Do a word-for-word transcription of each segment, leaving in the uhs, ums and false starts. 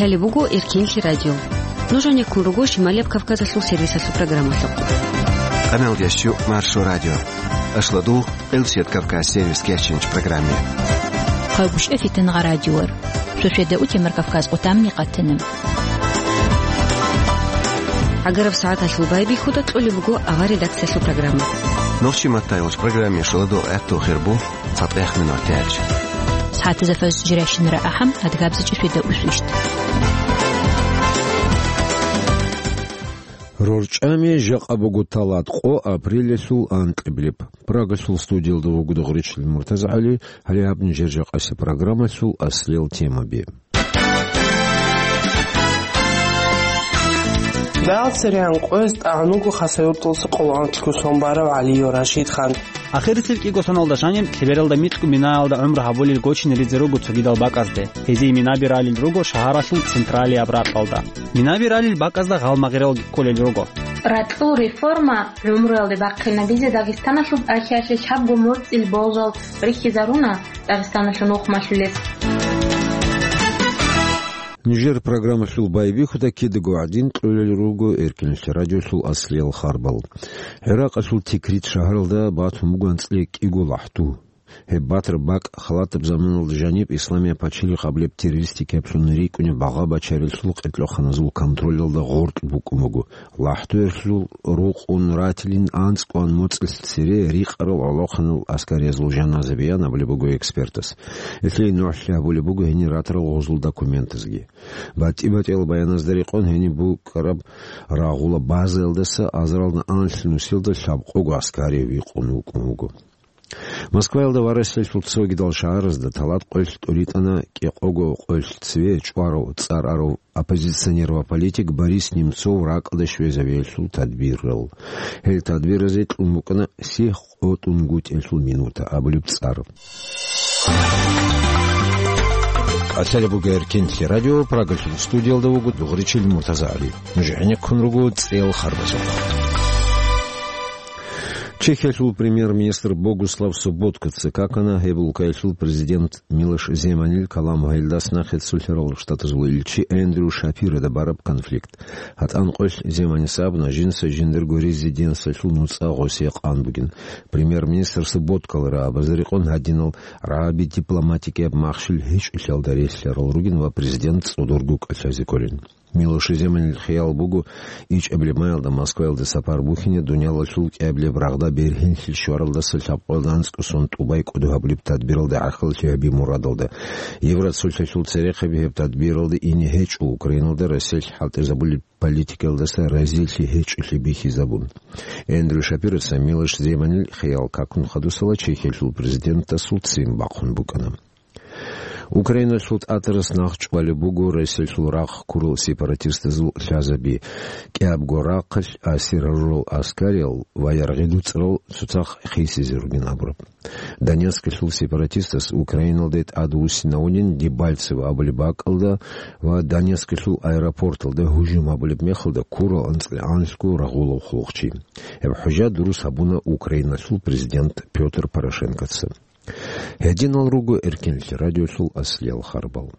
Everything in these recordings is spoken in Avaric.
Лъалеб буго Эркенлъи радио. Нуж гьанеккун руго Шималияб Кавказалъул сервисалъул программалъухъ. Къамел ящу Маршо радио. Ашладу Элсет Кавказ сервис кечинч программе. Хъалгушев Фитнагъа радиор. Шошеда утемар Кавказ къутамни къатана. Агараб сагӀаталъул байбихьуда кьолеб буго авар редакциялъул программа. Нохчи маттайолч программе шаладу гӀехту хирбу. ЦатӀехъ минуталъ. СагӀатазда фаз жирайщинара ахӀам, адгабза чӀишвида усвищ. РорчӀами жакъа буго талат къо апрелалъул анкьабилеб. Прагалъул студиялда вуго Дугъричил МуртазагӀали, гьале гьаб нижер жакъасеб программалъул аслиял темаби. Дагъ цере гьанкъоялъ тӀагӀун вуго Хасавюрталъуса къоло анкьго сон барав ГӀалиев Рашидхан. Ахирисел кӀиго соналда жаниб лъебералда микьго минаялда гӀумру гьабулел гочинеризе руго цогидал бакӀазде. Гьезие минаби ралел руго шагьаралъул централияб ракьалда. Минаби ралел бакӀазда гъалмагъиралги кколел руго. Ракьул реформа гӀумруялде бахъинабизе Дагъистаналъуб ахӀиялъе чапго моцӀил болжал рихьизаруна Дагъистаналъул нухмалъулес. Нижер программалъул байбихьуда кидаго гӀадин кьолел руго Эркенлъи радиолъул аслиял харбал. ГӀиракъалъул Тикрит шагьаралда батун буго анцӀила кӀиго лахӀду. Гьеб батараб бакӀ халатаб заманалда жаниб Исламияб пачалихъ абулеб террористикаблъун рикӀкӀунеб багъа-бачаралъул къеркьехъаназул контролалда гъоркь букӀун буго. ЛахӀдуялъул рукъун ратилин анцӀгоан моцӀилъ цере рикъарал гӀолохъанал аскариязул жаназаби ян абулеб буго экспертас. Гьелъие нугӀлъи гьабулеб буго гьенир ратарал гъозул документазги. БатӀи-батӀиял баяназда рекъон гьениб букӀараб рагъула базаялдаса азаралда анлъ нусилда лъабкъого аскарияв вихъун вукӀун вуго. Москваялда ва Россиялъул цогидал шагьаразда талат къоялъ тӀуритӀана кӀикъого къоялъ цеве чӀварав цӀар арав оппозиционер ва политик Борис Немцов ракӀалде щвезавиялъул тадбирал. Гьел тадбиразе кьун букӀана сихъ къотӀунгутӀиялъул минута абулеб цӀар. Лъалеб буго Эркенлъи радио, Прагалъул студиялда вуго Дугъричил МуртазагӀали. Нуж гӀенеккун руго цӀел харбазухъ. Чехиялъул премьер-министр Богуслав Соботкоца какана гьеб улкаялъул президент Милош Земанил калам гьайилдас нахъе цолъарал штатазул илчи Эндрю Шапирода бараб конфликт. ГьатӀан къоялъ Земанис абуна, жинца жиндирго резиденциялъул нуцӀа гъосие къан бугин. Премьер-министр Соботкалара абазе рекъон гьадинал рагӀаби дипломатикияб махщел гьечӀолъиялда релълъарал ругин ва президент цӀодорго кӀалъазе кколин. Милош Земанил хиял буго, ичӀабилеб маялда Москваялде сапар бухьине дуниялалъул кӀиабилеб рагъда бергьенлъи щваралдаса лъабкъоялда анцӀго сон тӀубай кӀодо гьабулеб тадбиралда гӀахьаллъи гьаби мурадалда. Евроцолъалъул церехъаби гьеб тадбиралда ине гьечӀо Украиналда Россиялъ хӀалтӀизабулеб политикалдаса разилъи гьечӀолъи бихьизабун. Эндрю Шапироца Милош Земанил хиял какун хадусала Чехиялъул президентасул ццин бахъун букӀана. Украиналъул тӀатарас нахъ чӀвалеб буго Россиялъул рахъ ккурал сепаратистазул лъазаби, кӀиябго рахъалъ асир гьарурал аскариял ва яргъи дуцӀрал цоцахъ хисизе ругин абураб. Донецкалъул сепаратистас Украиналде тӀадвуссинавунин Дебальцево абулеб бакӀалда ва Донецкалъул аэропорталда гьужум гьабулеб мехалда ккурал анцӀила анлъго рагъулав хъулухъчи. Гьеб хӀужа дурус гьабуна Украиналъул президент Пётр Порошенкоца. Гьединал руго Эркенлъи радиолъул аслиял харбал.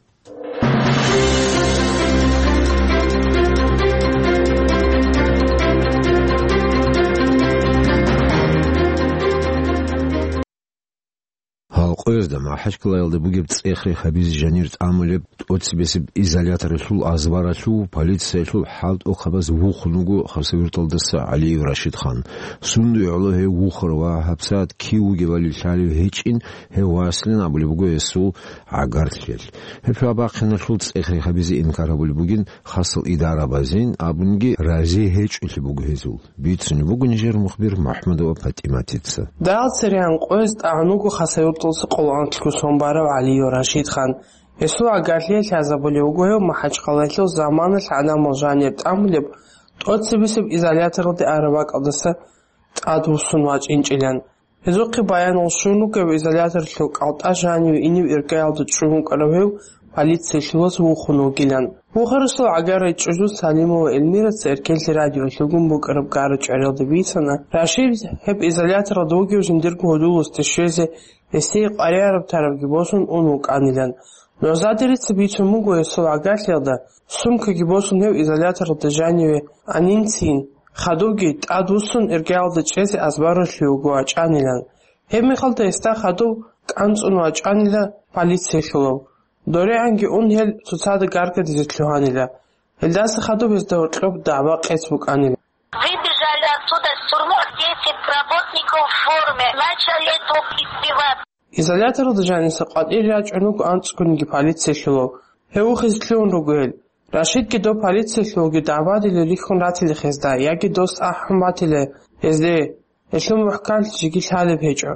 Гьалкъоязда МахӀачкъалаялда бугеб цӀех-рех гьабизе жанир тӀамулеб тӀоцебесеб изоляторалъул азбаралъув полициялъул хӀалтӀухъабаз вухун вуго Хасавюрталдаса ГӀалиев Рашидхан. Сундуе гӀоло гьев вухара ва гьабсагӀат кив вугевали лъалев гьечӀин, гьев васлин абулеб буго гьесул гӀагарлъиялъ. Гьеб шагьбахъиналъул цӀех-рех гьабизе инкар гьабулеб бугин хасал идарабазин абунги рази гьечӀолъи буго гьезул. Бицунеб буго нижер мухбир МухӀамадова ПатӀиматица. Дагъ цере гьанкъоялъ тӀагӀун вуго Хасавюрталъуса къоло анлъго сон барав ГӀалиев Рашидхан. Гьесул гӀагарлъиялъ лъазабулев вуго гьев МахӀачкъалаялъул заманалъ гӀадамал жанир тӀамулеб тӀоцебесеб изоляторалде араб бакӀалдаса тӀадвуссун вачӀинчӀилан. Гьезухъе баянал щун вуго гьев изоляторалъул кӀалтӀа жаниве инев иргаялда чӀун вукӀарав гьев полициялъуваз вухун вугилан. Вухарасул гӀагар речӀчӀулъул Салимова Эльмираца Эркенлъи радиолъугун букӀараб гара-чӀвариялда бицана, Рашид гьеб изоляторалда вугев жиндирго гьудуласде щвезе, гьесие къваригӀараб-тарабги босун ун вукӀанилан. НугӀзаде рецц бицун буго гьесул гӀагарлъиялда, сумкаги босун гьев изоляторалда жаниве анинцин, хадубги тӀадвуссун иргаялда чӀезе азбаралъув вуго вачӀанилан. Гьеб мехалда гьесда хадуб кӀанцӀун вачӀанила полициялъулав. ДорегӀанги ун гьел цоцазда гаргадизе лъугьанила. Гьелдаса хадуб гьезда гьоркьоб дагӀба-къец букӀанила. Выбежали оттуда с тюрьмы десять работников в форме, начали тут избиваться. Изоляторалда жаниса къватӀир рачӀун руго анцӀгониги полициялъулав. Гьев вухизе лъугьун руго гьел. Рашидги дов полициялъулги дагӀбадиле рихьун ратила гьезда, яги дос ахӀун батила гьезде. Гьелъул мухӀканлъи жеги лъалеб гьечӀо.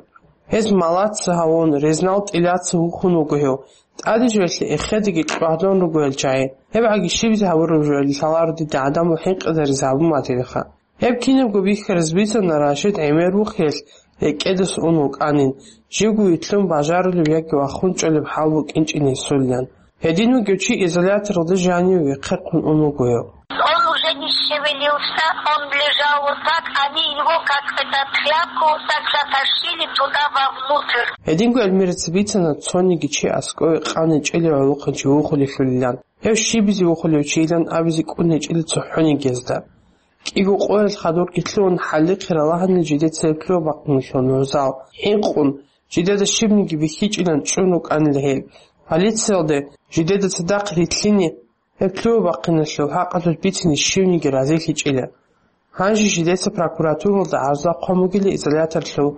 Гьез малаца гьавун, резнал тӀилаца вухун вуго гьев. ТӀаде жоялъе эхедаги кьвагьдун руго гьел чагӀи. Гьеб гӀаги щибизе гьабураб жоялъе лъаларо дида гӀадамал хӀинкъизаризе гьабун батилаха. Гьеб кинабго бихьарас бицана Рашид гӀемер вухиялъ рекӀедас ун вукӀанин, живго вилълъун бажарулеб яги вахун чӀолеб хӀал букӀинчӀин гьесулилан. Гьедин вугев чи изоляторалда жаниве вехъерхъун ун вуго гьев. Он уже не шевелился, он лежал вот так, они его как это тряпку вот так затащили туда вовнутрь. Гьединго гӀелмерас бицана цониги чи аскӀове къан гьечӀелев гӀолохъанчи вухулелъулилан. Гьев щибизе вухулев чийилан абизе кӀун гьечӀила цохӀониги гьезда. КӀиго къоялъ хадурги лъугьун хӀалихъе ралагьанила жидеца гьеб лъугьа-бахъиналъул нугӀзал. ХӀинкъун, жидеда щибниги бихьичӀилан чӀун рукӀанила гьел. Полициялде жидеда цадахъ рилълъине гьеб лъугьа-бахъиналъул хӀакъалъулъ бицине щивниги разилъичӀила. Гьанже жидеца прокуратуралда гӀарза хъван бугила изоляторлъул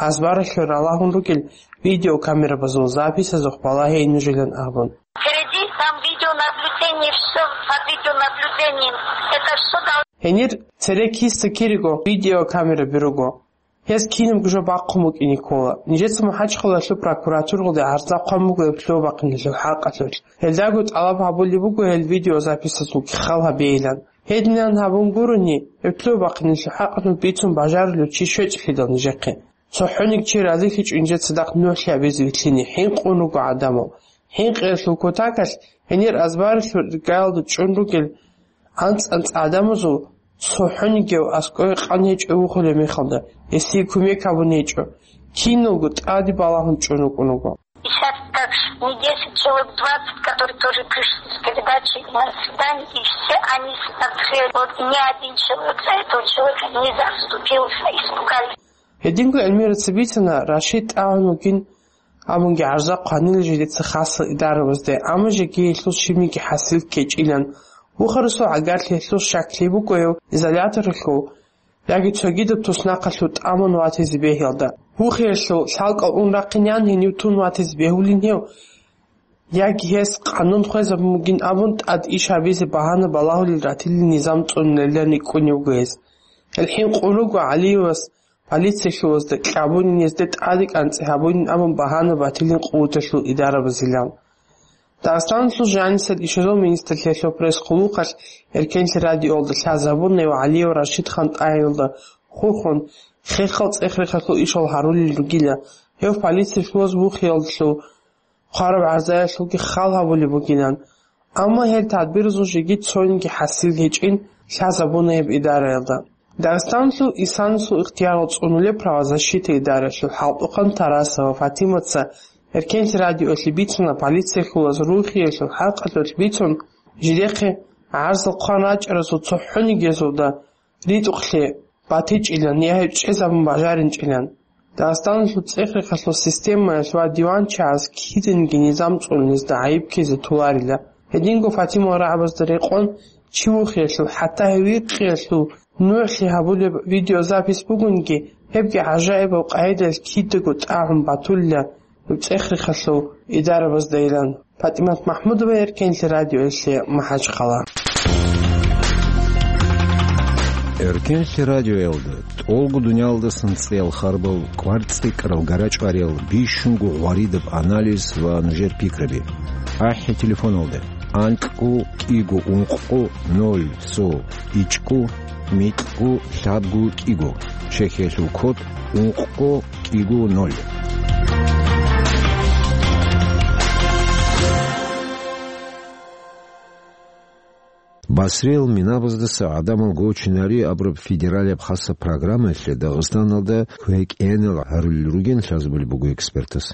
азбаралъув ралагьун ругел видеокамерабазул записазухъ балагьейин нужилан абун. Впереди там видеонаблюдение, всё под видеонаблюдением. Это всё дол- Гьенир цере киса кириго видеокамераби руго. Гьез кинабго жо бахъун букӀине ккола. Нижеца МахӀачхъалаялъул прокуратуралде гӀарза хъван буго гьеб лъугьа-бахъиналъул хӀакъалъулъ. Гьелдаго тӀалаб гьабулеб буго гьел видеозаписазулги хал гьабейилан. Гьединан гьабун гурони, гьеб лъугьа-бахъиналъул хӀакъалъулъ бицун бажарулев чи щвечӀлъидал нижехъе. ЦохӀониги чи разилъичӀо нижеца цадахъ нугӀлъи гьабизе вилълъине, хӀинкъун руго гӀадамал. ХӀинкъиялъул кутакалъ гьенир азбаралъув иргаялда чӀун ругел анцӀ-анцӀ гӀадамазул цохӀонигияв аскӀове къан гьечӀев вухулеб мехалда, гьесие кумек гьабун гьечӀо, киналго тӀаде балагьун чӀун рукӀун руго. И щас так не десять человек, двадцать, которые тоже пришли с передачей на свидание, и все они смотрели. Вот ни один человек за этого человека не заступился, испугались. Гьединго гӀелмерас бицана Рашид тӀагӀун вугин абунги гӀарза хъванила жидеца хасал идарабазде, амма жеги гьелъул щибниги хӀасил ккечӀилан. Вухарасул гӀагарлъи гьелъул щаклъи буго гьев изоляторалъув яги цогидаб туснахъалъув тӀамун ватизе бегьиялда. Вухиялъул лъалкӀал ун рахъинеян гьенив тун ватизе бегьулин гьев, яги гьес къанун хвезабун бугин абун тӀад иш гьабизе багьана балагьулел ратилин низам цӀунулилан рикӀкӀунев вуго гьес. Гьел хӀинкъун руго ГӀалиевас полициялъулазда кьабунин, гьезде тӀаде кӀанцӀи гьабунин абун багьана батилин къуваталъул идарабазилан. Дагъистаналъул жанисел ишазул министрлъиялъул пресс-хъулухъалъ Эркенлъи радиоялда лъазабуна гьев ГӀалиев Рашидхан тӀагӀиналда хурхун, хехал цӀех-рехалъул ишал гьарулел ругила, гьев полициялъулаз вухиялъул хъвараб гӀарзаялъулги хал гьабулеб бугилан. Амма гьел тадбирзул жеги цониги хӀасил гьечӀин лъазабуна гьеб идараялда. Дагъистаналъул инсанасул ихтиярал цӀунулеб правозащита идараялъул хӀалтӀухъан Тарасова Фатимаца Эркенлъи радиоялъе бицуна, полициялъулаз рухиялъул хӀакъалъулъ бицун, жидехъе гӀарзал хъван рачӀаразул цохӀонигезулда ритӀухълъи батичӀилан я гьеб чӀезабун бажаринчӀилан. Дагъистаналъул цӀех-рехалъул системаялъ ва диванчагӀаз киданиги низам цӀунулезда гӀайиб ккезе толарила. Гьединго Фатимал рагӀабазда рекъон, чи вухиялъул, хӀатта гьев вихъиялъул нугӀлъи гьабулеб видеозапись бугониги, гьебги гӀажаибаб къагӀидаялъ кидаго тӀагӀун батулила гьеб цӀех-рехалъул идарабаздайилан. ПатӀимат МахӀмудова, Эркенлъи радиоялъе, МахӀачхъала. Эркенлъи радиоялда тӀолго дуниялдасан цӀеял харбал, кӀвар-цӀикӀкӀарал, гара-чӀвариял, бищунго гъваридаб анализ ва нужер пикраби. АхӀи телефоналда: анкьго кӀиго ункъго ноль цо ичӀго микьго лъабго кӀиго, Чехиялъул код ункъго кӀиго ноль. Басриял минабаздаса гӀадамал гочинари абураб федералияб хасаб программаялъе Дагъистаналда квекӀенал гьарулел ругин лъазабулеб буго экспертас.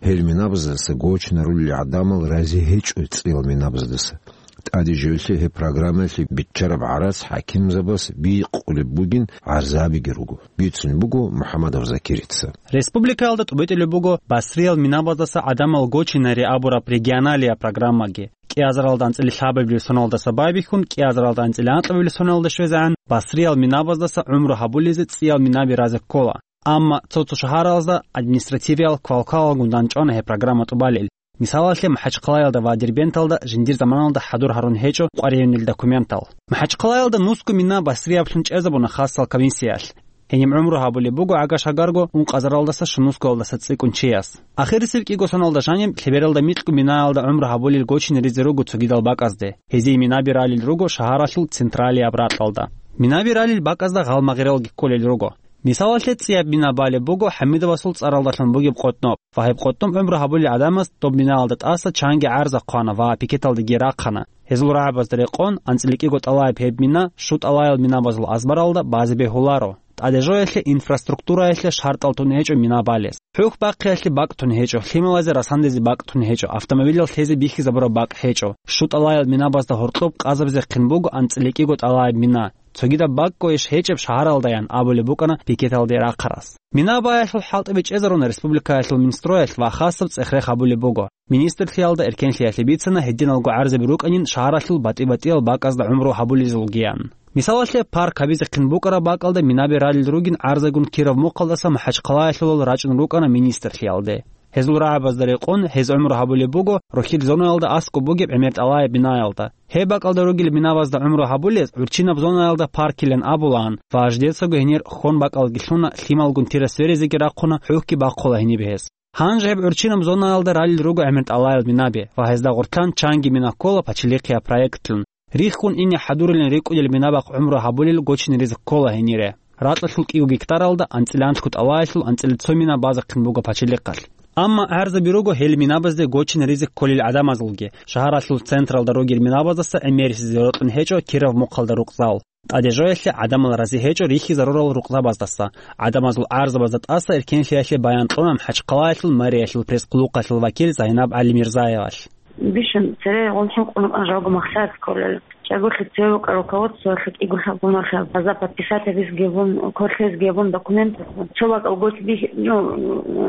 Гьел минабаздаса гочинарулел гӀадамал рази гьечӀо цӀиял минабаздаса. ТӀаде жоялъе гьеб программаялъе биччараб гӀарац хӀакимзабаз бикъулеб бугин гӀарзабиги руго. Бицунеб буго МухӀамадов Закирица. Республикаялда тӀубитӀулеб буго Басриял минабаздаса гӀадамал гочинари абураб регионалияб программаги. КӀиазаралда анцӀила лъабабилеб соналдаса байбихьун, кӀиазаралда анцӀила анкьабилеб соналда щвезегӀан, Басриял минабаздаса гӀумру гьабулезе цӀиял минаби разе ккола. Амма цо-цо шагьаралазда административиял квалквалалгун данчӀвана гьеб программа тӀубалел. Мисалалъе, МахӀачхъалаялда ва Дербенталда жиндир заманалда хӀадур гьарун гьечӀо къваригӀунел документал. МахӀачхъалаялда нусго мина Басрияблъун чӀезабуна хасал комиссиялъ. Гьениб гӀумру гьабулеб буго гӀага-шагарго ункъазаралдаса щунусгоялдаса цӀикӀкӀун чияс. Ахирисеб кӀиго соналда жаниб лъебералда микьго минаялда гӀумру гьабулел гочине ризе руго цогидал бакӀазде. Гьезие минаби ралел руго шагьаралъул централияб ракьалда. Минаби ралел бакӀазда гъалмагъралги кколел руго. Мисалалъе, цӀияб мина балеб буго ХӀамидовасул цӀаралдалъун бугеб къотӀноб, ва гьеб къотӀноб гӀумру гьабулел гӀадамаз доб минаялда тӀаса чанги гӀарза хъвана ва пикеталдеги рахъана. Гьезул рагӀабазда рекъон, анцӀила кӀиго тӀалаяб гьеб мина щу тӀалаял минабазул азбаралда базе бегьуларо. ТӀаде жоялъе инфраструктураялъе шартӀал тун гьечӀо мина балес. ХӀухь бахъиялъе бакӀ тун гьечӀо, лъималазе расандезе бакӀ тун гьечӀо, автомобилал лъезе бихьизабураб бакӀ гьечӀо. Щу тӀалаял минабазда гьоркьоб къазабизе хъин буго анцӀила кӀиго тӀалаяб мина. Цогидаб бакӀго иш гьечӀеб шагьаралдаян абулеб букӀана пикеталде рахъарас. Мина баялъул хӀалтӀаби чӀезаруна республикаялъул Минстроялъ ва хасаб цӀех-рех гьабулеб буго. Министрлъиялда эркенлъиялъе бицана гьединалго гӀарзаби рукӀанин шагьаралъул батӀи-батӀиял бакӀазда гӀумру гьабулезулгиян. Мисалалъе, парк гьабизе хъин букӀараб бакӀалда минаби ралел ругин гӀарзагун Киров мухъалдаса МахӀачхъалаялъулал рачӀун рукӀана министрлъиялде. Гьезул рагӀабазда рекъон, гьез гӀумру гьабулеб буго рохьил зонаялда аскӀоб бугеб гӀемер тӀалаяб бинаялда. Гьеб бакӀалда ругел минабазда гӀумру гьабулез гӀурччинаб зонаялда паркилан абулаан ва жидецаго гьенир хьон бакӀалги лъуна, лъималгун тира сверизеги рахъуна, хӀухьги бахъула гьениб гьез. Гьанже гьеб гӀурччинаб зонаялда ралел руго гӀемер тӀалаял минаби ва гьезда гъоркьан чанги мина ккола пачалихъияб проектлъун. Риххун ине хӀадурилан рикӀкӀунел минабахъ гӀумру гьабулел гочине ризе ккола гьенире. Ракьалъул кӀиго гектаралда анцӀила анлъго тӀалаялъул анцӀила цо мина базехъин буго пачалихъалъ. Амма гӀарзаби руго гьел минабазде гочине ризе кколел гӀадамазулги. Шагьаралъул централда ругел минабаздаса гӀемерисезе рокьун гьечӀо Киров мухъалда рукъзал. ТӀаде жоялъе гӀадамал рази гьечӀо рихьизарурал рукъзабаздаса. ГӀадамазул гӀарзабазда тӀаса эркенлъиялъе баян кьуна МахӀачхъалаялъул мэриялъул пресс-къулухъалъул вакил Загьнаб ГӀалимирзаевалъ. Бищун цере гъол хӀинкъун рукӀана жалго махсар кколел. ЧӀаголъи цеве вукӀа руководствоялъе кӀиго лъабгуналъа база подписать гьабиз гьебун, квалъизе гьебун документ. Цо бакӀал гочи бихь-, ну,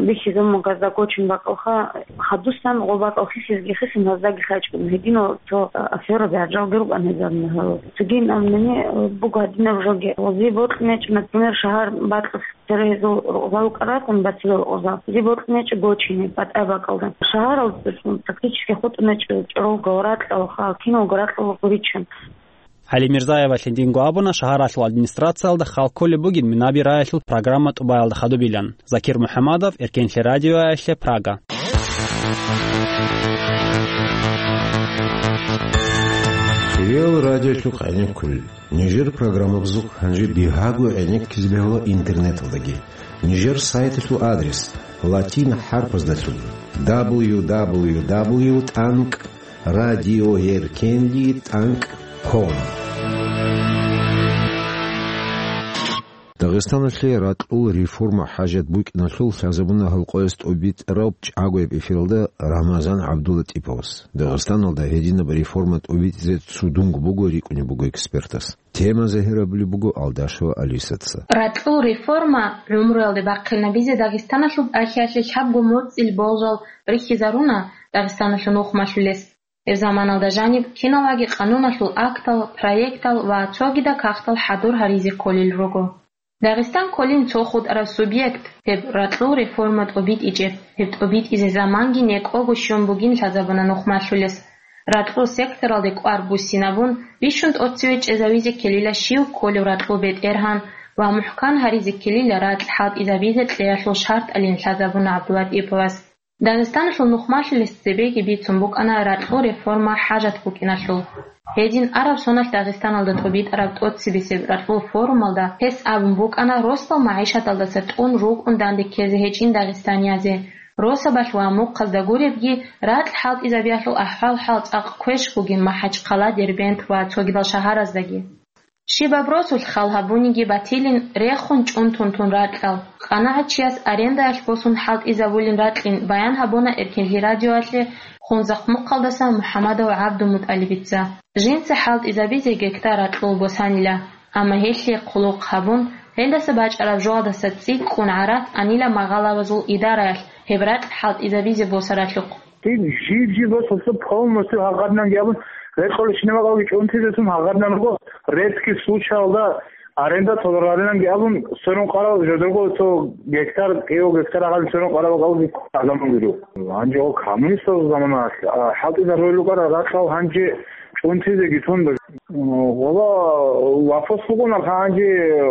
бихьизабун газда гочун бакӀалха, хадусан гъо бакӀал хисизги хисин гьаздаги хачӀун. Гьединал цо афера бяжалги рукӀан гьезаб мехалъ. Цогин амнани буго гьадинаб жоги. Гъози бокьнечӀ, например, шагьар бакьулъ Цере гьезул рукъзал вукӀаратун бацилал рукъзал. Зи бокьнечӀ гочине, батӀа бакӀалда. Шагьарал практически хутӀунечӀ чӀоролго ракьал, ха, киналго ракьал гуричун. ГӀалимирзаевалъ гьединго абуна, шагьаралъул администрациялда хал кколеб бугин минаби раялъул программа тӀубаялда хадубилан. Закир МухӀамадов, Эркенлъи радиоялъе, Прага. Реал радиолъухъ гӀенеккулел. Нижер программабазухъ гьанже бигьаго гӀенеккизе бегьула интернеталдаги. Нижер сайталъул адрес латин хӀарпаздалъун: дабл ю дабл ю дабл ю тӀанкӀ радиоеркенли тӀанкӀ ком. Дагъистаналъе ракьул реформа хӀажат букӀиналъул лъазабуна гьалкъояс тӀубитӀараб чӀагояб эфиралда Рамазан ГӀабдуллатӀиповас. Дагъистаналда гьединаб реформа тӀубитӀизе цудунго буго рикӀкӀунеб буго экспертас. Тема загьирабулеб буго Алдашева Алисаца. Ракьул реформа гӀумруялде бахъинабизе Дагъистаналъуб ахиялъе лъабго моцӀил болжал рихьизаруна Дагъистаналъул нухмалъулес. Гьеб заманалда жаниб киналаги къануналъул актал, проектал ва цогидал кагътал хӀадур гьаризе кколел руго. Дагъистан кколин цо хутӀараб субъект, гьеб ракьул реформа тӀубитӀичӀеб, гьеб тӀубитӀизе заманги некӀого щун бугин лъазабуна нухмалъулес. Ракьул секторалде кӀвар буссинабун, бищун тӀоцеве чӀезавизе ккелила щив кколев ракьул бетӀергьан ва мухӀкан гьаризе ккелила ракь хӀалтӀизабизе кьеялъул шартӀалин лъазабуна ГӀабдулатӀиповас. Дагъистаналъул нухмалъулес цебеги бицун букӀана ракьул реформа хӀажат букӀиналъул. Гьедин араб соналъ Дагъистаналда тӀубитӀараб тӀоцебесеб ракьул форумалда гьес абун букӀана росдал магӀишаталдаса тӀун рукӀун данде ккезе гьечӀин дагъистаниязе. Росабалъ ва мухъазда гуребги, ракь хӀалтӀизабиялъул ахӀвал-хӀал цӀакъ квеш бугин МахӀачхъала, Дербент ва цогидал шагьараздаги. Щибаб росулъ хал гьабуниги батилин, рехун чӀунтун тун ракьал. КъанагӀат чияс арендаялъ босун хӀалтӀизабулин ракьин баян гьабуна Эркенлъи радиоялъе Хунзахъ мухъалдаса МухӀамадов ГӀабдулмутӀалибица. Жинца хӀалтӀизабизе гектар ракьул босанила, амма гьелъие хъулухъ гьабун, гьелдаса бачӀараб жоялдаса цӀикӀкӀун гӀарац анила магъалабазул идараялъ гьеб ракь хӀалтӀизабизе босаралъухъ. Жиб-жиб босулъ полностью гьагъадинанги абун, рекъолищ небакъалги чӀунтизесун гьагъадинан руго, редкий случаялда аренда толараринанги абун, сверун къарал жодорго цо гектар, кӀиго гектар агъали сверун къарал гьалги гӀадамал гуро. Гьанже гьал коммунистазул заманаялъ, а, хӀалтӀизарулел рукӀарал ракьал гьанже чӀунтизеги тун. Вала, вопрос бугонал гьанже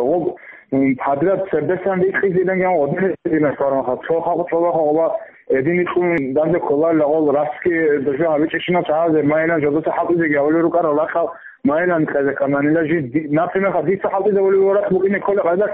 гъоб, м, подряд цердесан рикьизилан гьан гъодинаб динас бармаха. Цо халкъ чӀолаха гъоба эдин икьун данде кколарила гъол расги дожо гьабичӀищинал чагӀазе, майилан жодоца хӀалтӀизеги гьавулел рукӀарал ракьал майилан кьезе ккананила жи ди-, например, ха, дица хӀалтӀизабулев воракь букӀине кколеб къайдас,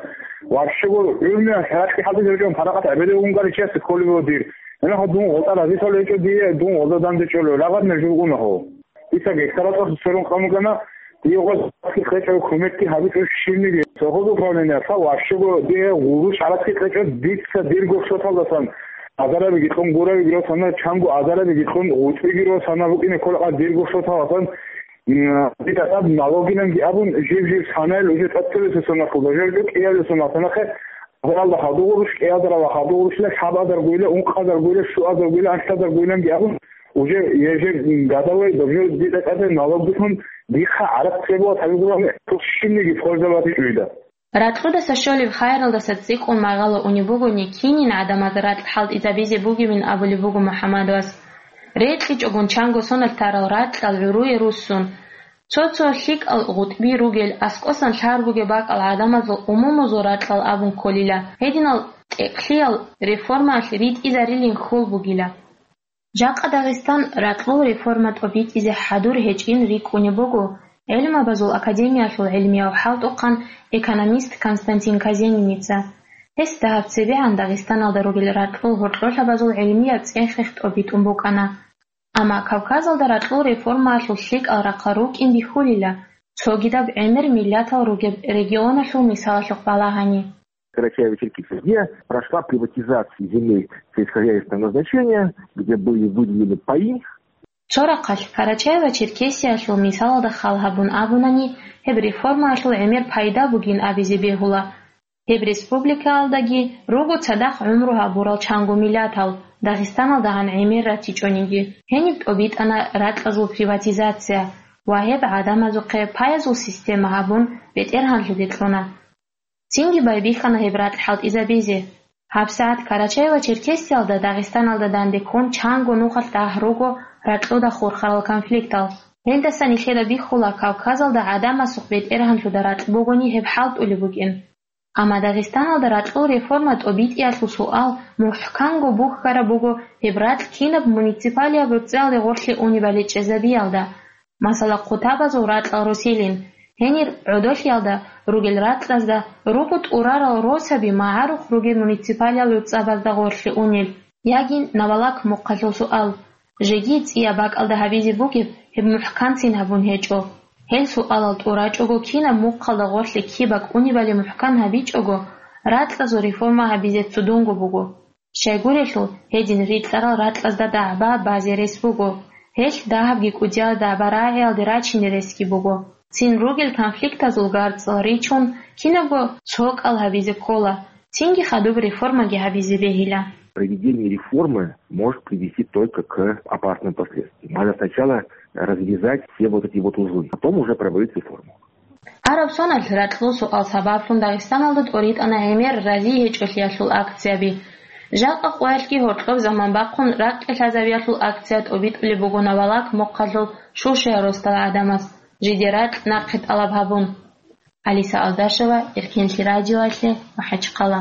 вообще гур гӀурмияс ракьги хӀалтӀизабичӀун паракъат гӀебедев унгаричиясе кколеб дир. Гьанахъа дун гъотӀа разилъал гьечӀо дие, дун гъоза данде чӀолев, лагъаднер жугьунахъо. Дица гектаралъ сверун къан бугана, дие гъоз кьечӀев кумекги гьабичӀо щибниги. Совхоз управлениялъ вообще гур дие гъурущ гӀарацги кьечӀо, дица дир гурщоталдасан азарабиги кьун гуравиги росана, чанго азарабиги кьун гъутӀбиги росана букӀине кколеб дир гурщоталдасан, м, дида тӀад налогинанги абун, жив-жив санайл уже тӀад цебесеб соналъул, даже уже кӀиябилеб соналъ нахъе азаралда хадур гъурущ, кӀиазаралда хадур гъурущ, лъабазаргойила, ункъазаргойила, щуазаргойила, анлъазаргойланги абун, уже ежегодовой, уже дида тӀаде налог бихьун, дихъа гӀарац цебуа табигураб щибниги пользовать гьечӀо дида. Ракьудаса щолеб хайралдаса цӀикӀкӀун магъало унеб бугони, кинин гӀадамаз ракь хӀалтӀизабизе бугебин абулеб буго МухӀамадовас. РекьичӀогун чанго соналъ тарал ракьал гӀуруе руссун, цо-цо лъикӀал гъутӀби ругел, аскӀосан лъар бугеб бакӀал гӀадамазул умумузул ракьал абун кколила, гьединал тӀекълъиял реформаялъ ритӀизарилин хьул бугила. Жакъа Дагъистан ракьул реформа тӀобитӀизе хӀадур гьечӀин рикӀкӀунеб буго ГӀилмабазул академиялъул гӀилмияв хӀалтӀухъан, экономист Константин Казениница. Гьес дагьаб цебегӀан Дагъистаналда ругел ракьул гьоркьолъабазул гӀилмияб цӀех-рех тӀобитӀун букӀана. Амма Кавказалда ракьул реформаялъул лъикӀал рахъал рукӀин бихьулила, цогидаб гӀемер миллатал ругеб регионалъул мисалалъухъ балагьани. Карачаево-Черкесия, где прошла приватизация земель сельскохозяйственного назначения, где были выделены паи. Цо рахъалъ Карачаево-Черкесиялъул мисалалда хал гьабун абунани, гьеб реформаялъул гӀемер пайда бугин абизе бегьула. Гьеб республикаялдаги руго цадахъ гӀумру гьабурал чанго миллатал, ДагъистаналдагӀан гӀемер ратичӀониги. Гьениб тӀобитӀана ракьазул приватизация ва гьеб гӀадамазухъе паязул система гьабун бетӀергьанлъи кьуна. Цинги байбихьана гьеб ракь хӀалтӀизабизе. ГьабсагӀат Карачаево-Черкесиялда Дагъистаналда данде ккун чанго нухалъ дагь руго ракьуда хурхарал конфликтал. Гьелдаса нилъеда бихьула Кавказалда гӀадамасухъ бетӀергьанлъуда ракь бугони гьеб хӀалтӀулеб букӀин. Амма Дагъистаналда ракьул реформа тӀобитӀиялъул суал мухӀканго бухьараб буго гьеб ракь кинаб муниципалияб рукъзалде гъорлъе унебали чӀезабиялда. Масала, хъутабазул ракьал росилин, гьенир гӀодолъиялда ругел ракьазда руго тӀурарал росаби магӀарухъ ругел муниципалиял рукъзабазда гъорлъе унел, яги Навалак мухъалъул суал, жеги цӀияб бакӀалда гьабизе бугеб гьеб мухӀканцин гьабун гьечӀо. Гьел суалал тӀурачӀого, кинаб мухъалда гъорлъе киб бакӀунебали мухӀкан гьабичӀого, ракьазул реформа гьабизе цудунго буго. Щайгурелъул, гьедин рикьарал ракьазда дагӀба базе рес буго, гьелъ дагьабги кӀудиял дагӀба рагӀиялде рачине ресги буго. Цин ругел конфликтазул гарцӀал ричун, кинабго цо кӀал гьабизе ккола, цинги хадуб реформаги гьабизе бегьила. Проведение реформы может привести только к опасным последствиям. Надо сначала развязать все вот эти вот узлы, потом уже проводить реформу. Араб соналъ ракьул суал сабаблъун Дагъистаналда тӀоритӀана гӀемер разие гьечӀолъиялъул акцияби. Жакъа къоялъги гьоркьоб заман бахъун ракье лъазабиялъул акция тӀобитӀулеб буго Навалак мухъалъул Шушая росдал гӀадамаз, жиде ракь нахъе тӀалаб гьабун. Алиса Алдашева, Эркенлъи радиоялъе, МахӀачхъала.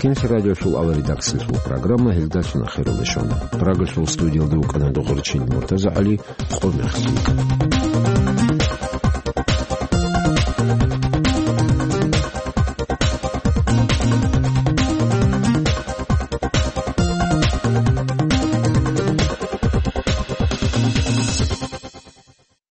Кинлъи радиолъул авал редакциялъул программа гьелдалъун ахиралде щвана. Прагалъул студиялда вукӀана Догъорчил МуртазагӀали, къо мехалъ.